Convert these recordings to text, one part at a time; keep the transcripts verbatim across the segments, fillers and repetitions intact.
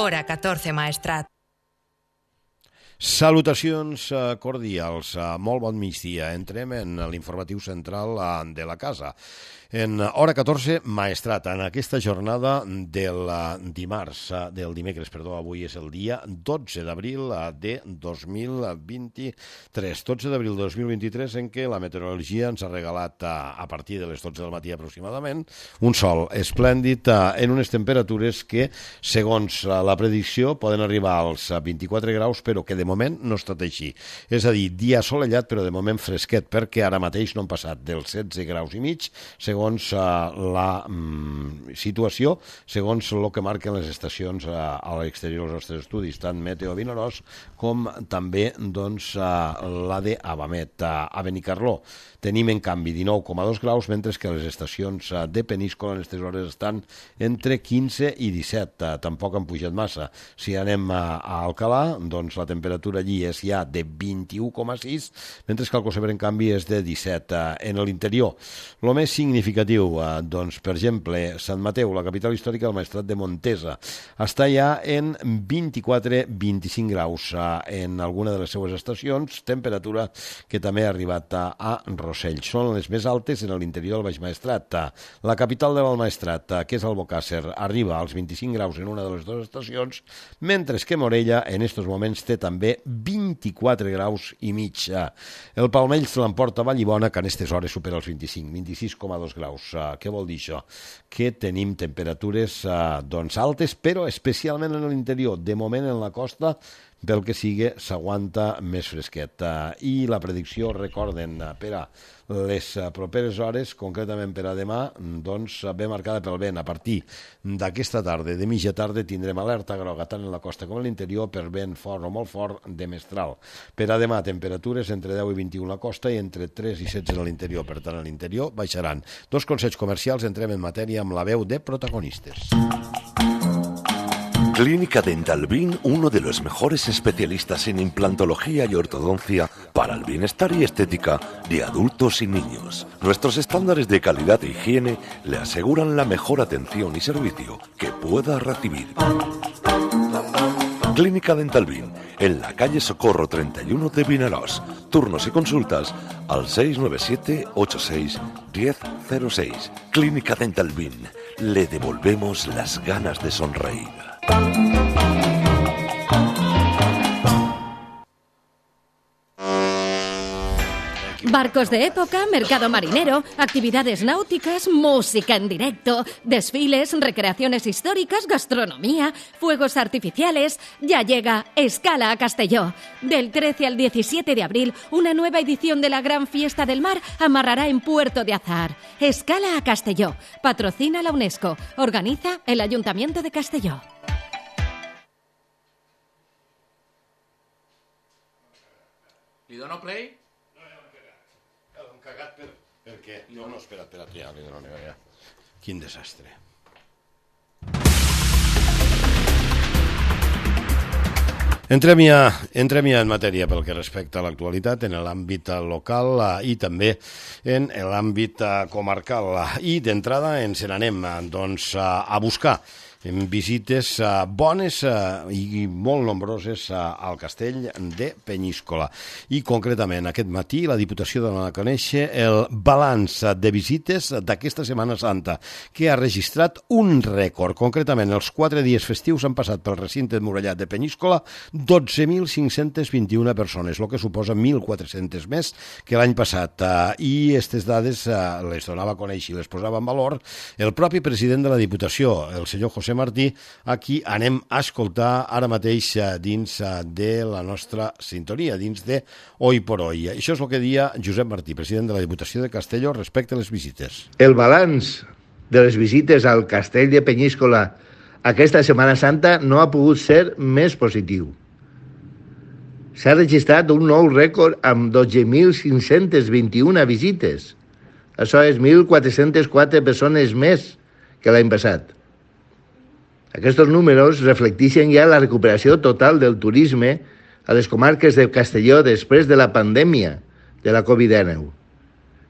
Hora catorze, Maestrat. Salutacions cordials, molt bon migdia. Entrem en l'informatiu central de la casa. En Hora catorze, Maestrat, en aquesta jornada del dimarts, del dimecres, perdó, avui és el dia dotze d'abril de dos mil vint-i-tres. dotze d'abril de dos mil vint-i-tres, en què la meteorologia ens ha regalat a partir de les dotze del matí aproximadament un sol esplèndid en unes temperatures que, segons la predicció, poden arribar als vint-i-quatre graus, però que de moment no ha estat així. És a dir, dia assolellat, però de moment fresquet, perquè ara mateix no han passat dels setze graus i mig, segons segons la mm, situació, segons el que marquen les estacions a, a l'exterior dels nostres estudis, tant Meteo Vinaròs com també doncs, la de Avamet, a Benicarló. Tenim, en canvi, dinou coma dos graus, mentre que les estacions de Peníscola en aquestes hores estan entre quinze i disset. Tampoc han pujat massa. Si anem a, a Alcalà, doncs la temperatura allí és ja de vint-i-u coma sis, mentre que el Cosebre, en canvi, és de disset. En l'interior, el més significatiu, doncs, per exemple, Sant Mateu, la capital històrica del Maestrat de Montesa, està ja en vint-i-quatre a vint-i-cinc graus en alguna de les seues estacions, temperatura que també ha arribat a, a Rossell. Són les més altes en l'interior del Baix Maestrat. La capital de l'Almaestrat, que és Albocàsser, arriba als vint-i-cinc graus en una de les dues estacions, mentre que Morella en aquests moments té també vint-i-quatre graus i mig. El Palmell se l'emporta Vallibona, que en aquestes hores supera els vint-i-cinc, vint-i-sis coma dos graus. Què vol dir això? Que tenim temperatures doncs, altes, però especialment en l'interior. De moment en la costa, pel que sigui, s'aguanta més fresquet. I la predicció, recorden, per a les properes hores, concretament per a demà, doncs ve marcada pel vent. A partir d'aquesta tarda, de mitja tarda, tindrem alerta groga tant en la costa com en l'interior per vent fort o molt fort de mestral. Per a demà, temperatures entre deu i vint-i-u a la costa i entre tres i setze en l'interior. Per tant, a l'interior baixaran. Dos consells comercials, entrem en matèria amb la veu de protagonistes. Clínica Dental Bin, uno de los mejores especialistas en implantología y ortodoncia para el bienestar y estética de adultos y niños. Nuestros estándares de calidad e higiene le aseguran la mejor atención y servicio que pueda recibir. Clínica Dental Bin, en la calle Socorro treinta y uno de Vinaròs. Turnos y consultas al seis nueve siete ocho seis uno cero cero seis. Clínica Dental Bin, le devolvemos las ganas de sonreír. Barcos de época, mercado marinero, actividades náuticas, música en directo, desfiles, recreaciones históricas, gastronomía, fuegos artificiales. Ya llega Escala a Castelló. Del trece al diecisiete de abril, una nueva edición de la Gran Fiesta del Mar amarrará en Puerto de Azahar. Escala a Castelló. Patrocina la UNESCO. Organiza el Ayuntamiento de Castelló. Li dono play? Cagat per... Per què? No, no, espera, espera, ja, li dono, ja. Quin desastre. Entrem ja, entrem ja en matèria pel que respecta a l'actualitat en l'àmbit local i també en l'àmbit comarcal. I d'entrada ens n'anem doncs, a buscar visites bones i molt nombroses al castell de Peníscola. I concretament aquest matí la Diputació dona a conèixer el balanç de visites d'aquesta Setmana Santa, que ha registrat un rècord. Concretament, els quatre dies festius han passat pel recinte emmurallat de Peníscola dotze mil cinc-cents vint-i-una persones, el que suposa mil quatre-cents més que l'any passat. I aquestes dades les donava a conèixer i les posava en valor el propi president de la Diputació, el senyor José Martí, a qui anem a escoltar ara mateix dins de la nostra sintonia, dins de Hoy por Hoy. Això és el que dia Josep Martí, president de la Diputació de Castelló, respecte a les visites. El balanç de les visites al castell de Peníscola aquesta Setmana Santa no ha pogut ser més positiu. S'ha registrat un nou rècord amb dotze mil cinc-cents vint-i-una visites. Això és mil quatre-cents quatre persones més que l'any passat. Aquests números reflecteixen ja la recuperació total del turisme a les comarques de Castelló després de la pandèmia de la covid dinou.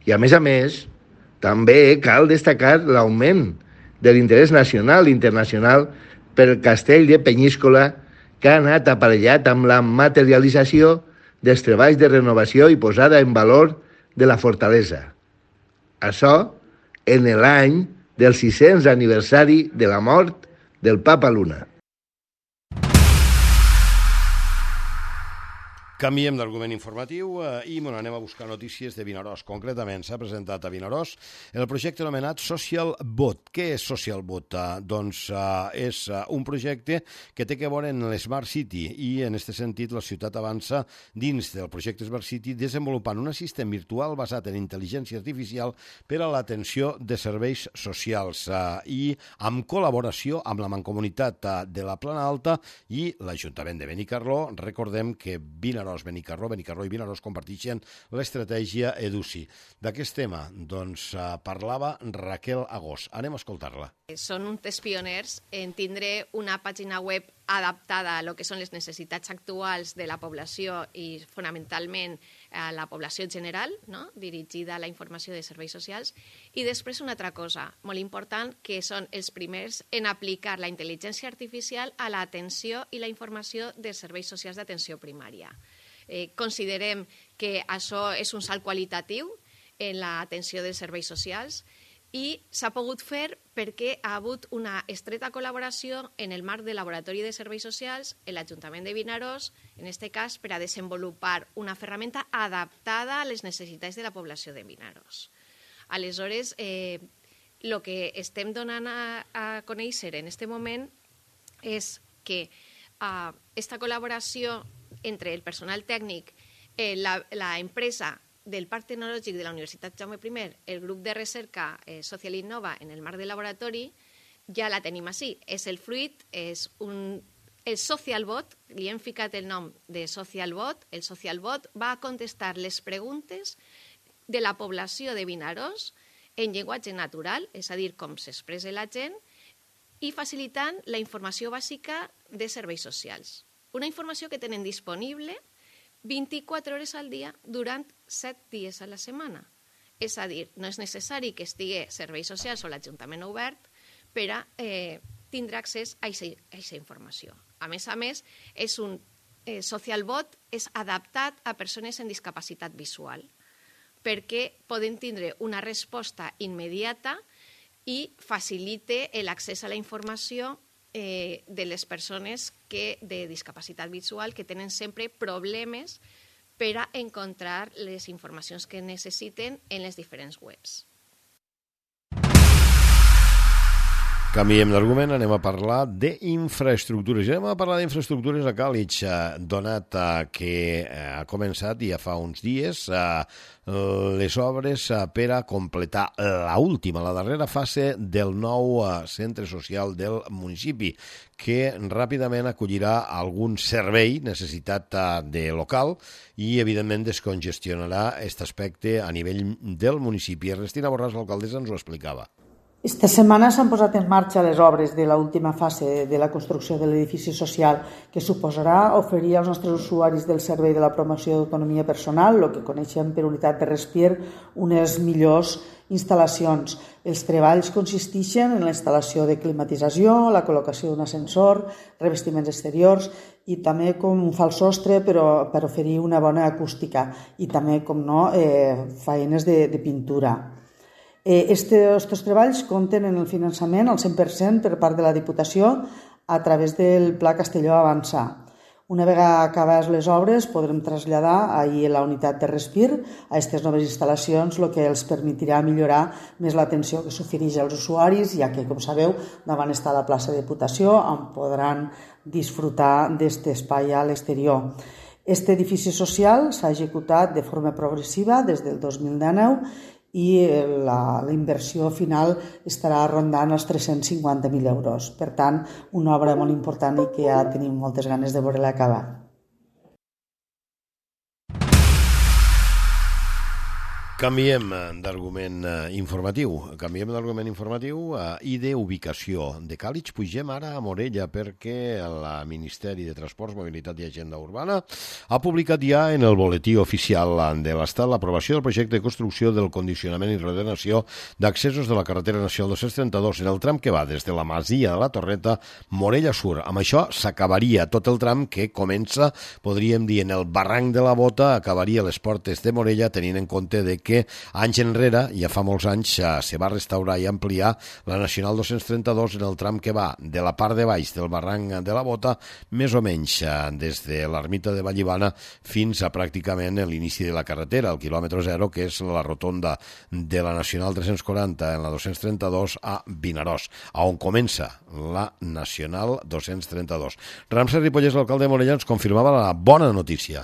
I a més a més, també cal destacar l'augment de l'interès nacional i internacional pel castell de Penyíscola, que ha anat aparellat amb la materialització dels treballs de renovació i posada en valor de la fortalesa. Això en l'any del sis-cents aniversari de la mort del Papa Luna. Canviem d'argument informatiu eh, i bueno, anem a buscar notícies de Vinaròs. Concretament, s'ha presentat a Vinaròs el projecte anomenat Social Bot. Què és Social Bot? Eh, doncs eh, és eh, un projecte que té que veure en l'Smart City i en aquest sentit la ciutat avança dins del projecte Smart City desenvolupant un assistent virtual basat en intel·ligència artificial per a l'atenció de serveis socials eh, i amb col·laboració amb la Mancomunitat eh, de la Plana Alta i l'Ajuntament de Benicarló. Recordem que Vinaròs Benicarló, Benicarló i Vinaròs comparteixen l'estratègia EDUCI. D'aquest tema, doncs, parlava Raquel Agós. Anem a escoltar-la. Són uns pioners en tindre una pàgina web adaptada a lo que són les necessitats actuals de la població i fonamentalment a la població general, no? Dirigida a la informació de serveis socials. I després una altra cosa molt important, que són els primers en aplicar la intel·ligència artificial a l'atenció i la informació de serveis socials d'atenció primària. Eh, considerem que això és un salt qualitatiu en l'atenció dels serveis socials i s'ha pogut fer perquè ha hagut una estreta col·laboració en el marc del Laboratori de Serveis Socials en l'Ajuntament de Vinaròs, en aquest cas per a desenvolupar una ferramenta adaptada a les necessitats de la població de Vinaròs. Aleshores, el eh, que estem donant a, a conèixer en aquest moment és que aquesta uh, col·laboració entre el personal tècnic, eh, la, la empresa del Parc Tecnològic de la Universitat Jaume primer, el grup de recerca eh, Social Innova en el marc del laboratori, ja la tenim així. És el fruit, és un, el Social Bot, li hem ficat el nom de Social Bot. El Social Bot va a contestar les preguntes de la població de Vinaròs en llenguatge natural, és a dir, com s'expressa la gent, i facilitant la informació bàsica de serveis socials. Una informació que tenen disponible vint-i-quatre hores al dia durant set dies a la setmana. És a dir, no és necessari que estigui serveis socials o l'Ajuntament obert per a eh, tindre accés a aquesta informació. A més a més, és un eh, Social Bot és adaptat a persones en discapacitat visual perquè poden tindre una resposta immediata i facilite l'accés a la informació Eh, de les persones que, de discapacitat visual que tenen sempre problemes per a encontrar les informacions que necessiten en les diferents webs. Canviem d'argument, anem a parlar d'infraestructures. Anem a parlar d'infraestructures a Càlig, donat que ha començat ja fa uns dies les obres per a completar l'última, la darrera fase del nou centre social del municipi, que ràpidament acollirà algun servei necessitat de local i, evidentment, descongestionarà aquest aspecte a nivell del municipi. Ernestina Borràs, l'alcaldessa, ens ho explicava. Esta setmana s'han posat en marxa les obres de l'última fase de la construcció de l'edifici social, que suposarà oferir als nostres usuaris del Servei de la Promoció d'Autonomia Personal, el que coneixem per unitat de respir, unes millors instal·lacions. Els treballs consisteixen en la instal·lació de climatització, la col·locació d'un ascensor, revestiments exteriors i també com un fals sostre però per oferir una bona acústica i també, com no, eh, faenes de, de pintura. Estos treballs compten en el finançament al cent per cent per part de la Diputació a través del Pla Castelló Avançar. Una vegada acabades les obres podrem traslladar ahir la unitat de respir a aquestes noves instal·lacions, el que els permetirà millorar més l'atenció que s'ofereix als usuaris, ja que, com sabeu, davant està la plaça de Diputació, on podran disfrutar d'aquest espai a l'exterior. Aquest edifici social s'ha executat de forma progressiva des del dos mil dinou i la, la inversió final estarà rondant els tres-cents cinquanta mil euros. Per tant, una obra molt important i que ja tenim moltes ganes de veure-la acabar. Canviem d'argument informatiu, canviem d'argument informatiu i d'ubicació. De Càlig pugem ara a Morella perquè el Ministeri de Transports, Mobilitat i Agenda Urbana ha publicat ja en el boletí oficial de l'Estat l'aprovació del projecte de construcció del condicionament i reordenació d'accessos de la carretera nacional dos-cents trenta-dos en el tram que va des de la Masia de la Torreta Morella Sur. Amb això s'acabaria tot el tram que comença, podríem dir, en el barranc de la Bota, acabaria les portes de Morella, tenint en compte de que que anys enrere, ja fa molts anys, se va restaurar i ampliar la Nacional dos-cents trenta-dos en el tram que va de la part de baix del barranc de la Bota, més o menys des de l'ermita de Vallivana fins a pràcticament l'inici de la carretera, el quilòmetre zero, que és la rotonda de la Nacional tres-cents quaranta en la dos-cents trenta-dos a Vinaròs, on comença la Nacional dos-cents trenta-dos. Ramsès Ripollès, l'alcalde de Morella, ens confirmava la bona notícia.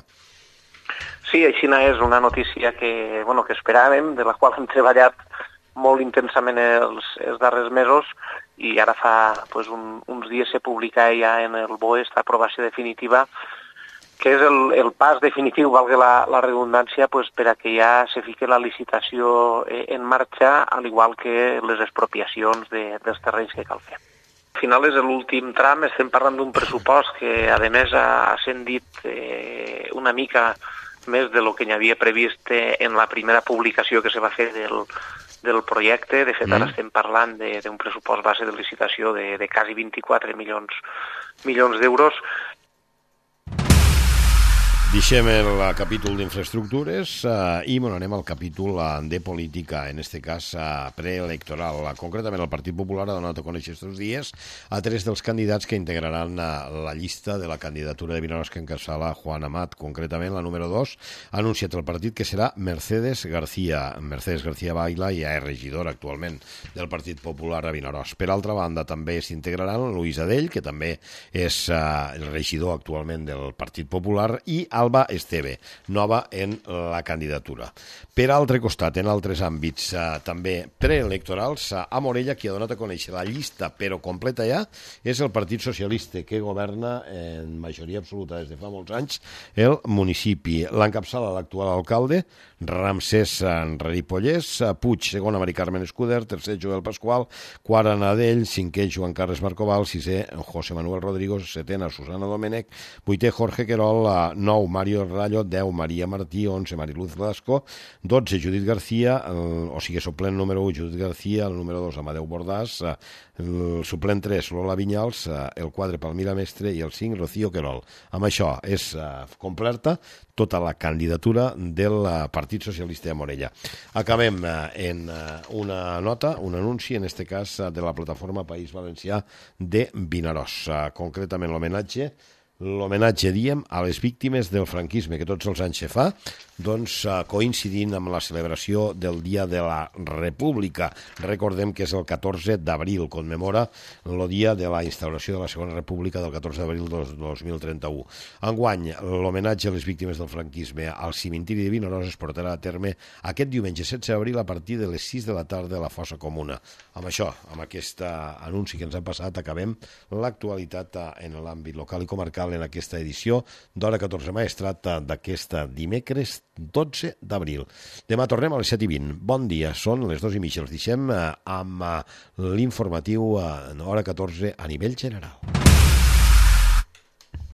Sí, així és una notícia que, bueno, que esperàvem, de la qual hem treballat molt intensament els, els darrers mesos, i ara fa pues, un, uns dies se publica ja en el B O E esta aprovació definitiva, que és el, el pas definitiu, valga la, la redundància, pues, per a que ja se fique la licitació en marxa, al igual que les expropiacions de, dels terrenys que cal fer. Al final és l'últim tram, estem parlant d'un pressupost que, a més, ha ascendit eh, una mica més de lo que n'hi havia previst en la primera publicació que se va fer del, del projecte. De fet, mm. ara estem parlant d'un pressupost base de licitació de, de quasi vint-i-quatre milions, milions d'euros. Deixem el capítol d'infraestructures uh, i bueno, anem al capítol uh, de política, en este cas uh, preelectoral. Uh, concretament, el Partit Popular ha donat a conèixer estos dies a tres dels candidats que integraran uh, la llista de la candidatura de Vinaròs que encapçala Juan Amat. Concretament, la número dos ha anunciat el partit que serà Mercedes García. Mercedes García Baila ja és regidora actualment del Partit Popular a Vinaròs. Per altra banda, també s'integraran Luis Adell, que també és uh, el regidor actualment del Partit Popular, i Alba Esteve, nova en la candidatura. Per altre costat, en altres àmbits eh, també preelectorals, eh, a Morella, qui ha donat a conèixer la llista, però completa ja, és el Partit Socialista, que governa en majoria absoluta des de fa molts anys el municipi. L'encapçala l'actual alcalde, Ramsès Ripollès, Puig, segona Mari Carmen Escuder, tercer Joel Pasqual, quart Anadell, cinquè Joan Carles Marcoval, sisè José Manuel Rodrigo, setena Susana Domènech, vuitè Jorge Querol, nou Mario Rayo, deu Maria Martí, onze Mariluz Blasco, dotze Judit García, el, o sigui, suplent número u Judit García, el número dos Amadeu Bordàs, el suplent tres Lola Vinyals, el quatre Palmira Mestre i el cinc Rocío Querol. Amb això és uh, completa tota la candidatura del Partit Socialista de Morella. Acabem uh, en uh, una nota, un anunci, en este cas uh, de la plataforma País Valencià de Vinaròs. Uh, concretament l'homenatge L'homenatge, diem, a les víctimes del franquisme, que tots els anys se fa, doncs coincidint amb la celebració del Dia de la República. Recordem que és el catorze d'abril, commemora el dia de la instauració de la Segona República del catorze d'abril del dos mil trenta-u. Enguany, l'homenatge a les víctimes del franquisme al cimentiri de Vinaròs es portarà a terme aquest diumenge setze d'abril a partir de les sis de la tarda a la Fossa Comuna. Amb això, amb aquest anunci que ens ha passat, acabem l'actualitat en l'àmbit local i comarcal en aquesta edició d'Hora catorze Maestrat d'aquesta dimecres dotze d'abril. Demà tornem a les set i vint. Bon dia, són les dos i mitja. Els deixem amb l'informatiu Hora catorze a nivell general.